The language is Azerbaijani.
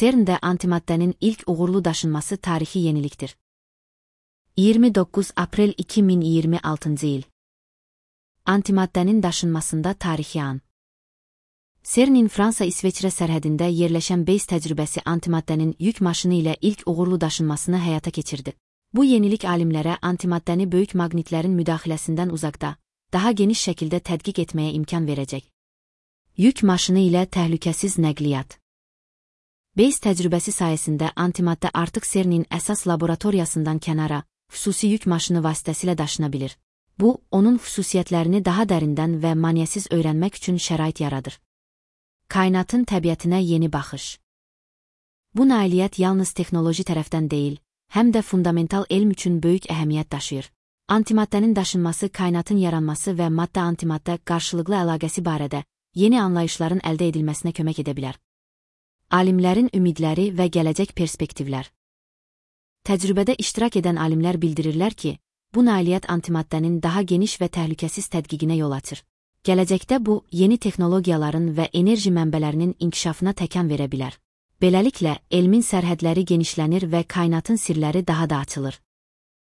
CERN-də antimaddənin ilk uğurlu daşınması tarixi yenilikdir. 29 Aprel 2026 il. Antimaddənin daşınmasında tarixi an. CERN-in Fransa-İsveçrə sərhədində yerləşən BASE təcrübəsi antimaddənin yük maşını ilə ilk uğurlu daşınmasını həyata keçirdi. Bu yenilik alimlərə antimaddəni böyük maqnitlərin müdaxiləsindən uzaqda, daha geniş şəkildə tədqiq etməyə imkan verəcək. Yük maşını ilə təhlükəsiz nəqliyyat. BASE təcrübəsi sayəsində antimaddə artıq CERN-in əsas laboratoriyasından kənara, xüsusi yük maşını vasitəsilə daşına bilir. Bu, onun xüsusiyyətlərini daha dərindən və maneəsiz öyrənmək üçün şərait yaradır. Kainatın təbiətinə yeni baxış. Bu nailiyyət yalnız texnoloji tərəfdən deyil, həm də fundamental elm üçün böyük əhəmiyyət daşıyır. Antimaddənin daşınması kainatın yaranması və maddə-antimaddə qarşılıqlı əlaqəsi barədə yeni anlayışların əldə edilməsinə kömək edə bilər. Alimlərin ümidləri və gələcək perspektivlər. Təcrübədə iştirak edən alimlər bildirirlər ki, bu nailiyyət antimaddənin daha geniş və təhlükəsiz tədqiqinə yol açır. Gələcəkdə bu, yeni texnologiyaların və enerji mənbələrinin inkişafına təkan verə bilər. Beləliklə, elmin sərhədləri genişlənir və kainatın sirləri daha da açılır.